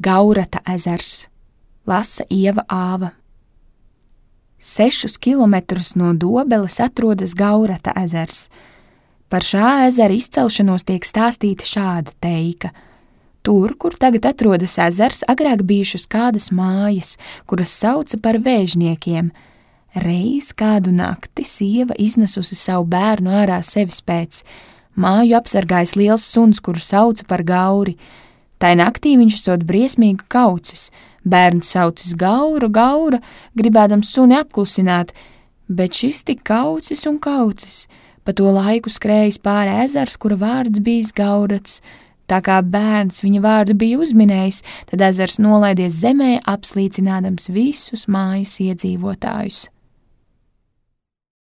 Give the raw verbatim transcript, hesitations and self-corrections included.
Gaurata ezers, lasa Ieva Āva. Sešus kilometrus no Dobeles atrodas Gaurata ezers. Par šā ezera izcelšanos tiek stāstīta šāda teika. Tur, kur tagad atrodas ezers, agrāk bijušas kādas mājas, kuras sauca par vēžniekiem. Reiz kādu nakti sieva iznesusi savu bērnu ārā sevis pēc. Māju apsargājis liels suns, kuru sauca par Gauri. Tai naktī viņš esot briesmīgi kaucis. Bērns saucis Gaura, Gaura, gribēdams suni apklusināt, bet šis tik kaucis un kaucis. Pa to laiku skrējis pāri ezers, kura vārds bijis Gaurats. Tā kā bērns viņa vārdu bija uzminējis, tad ezers nolaidies zemē, apslīcinādams visus mājas iedzīvotājus.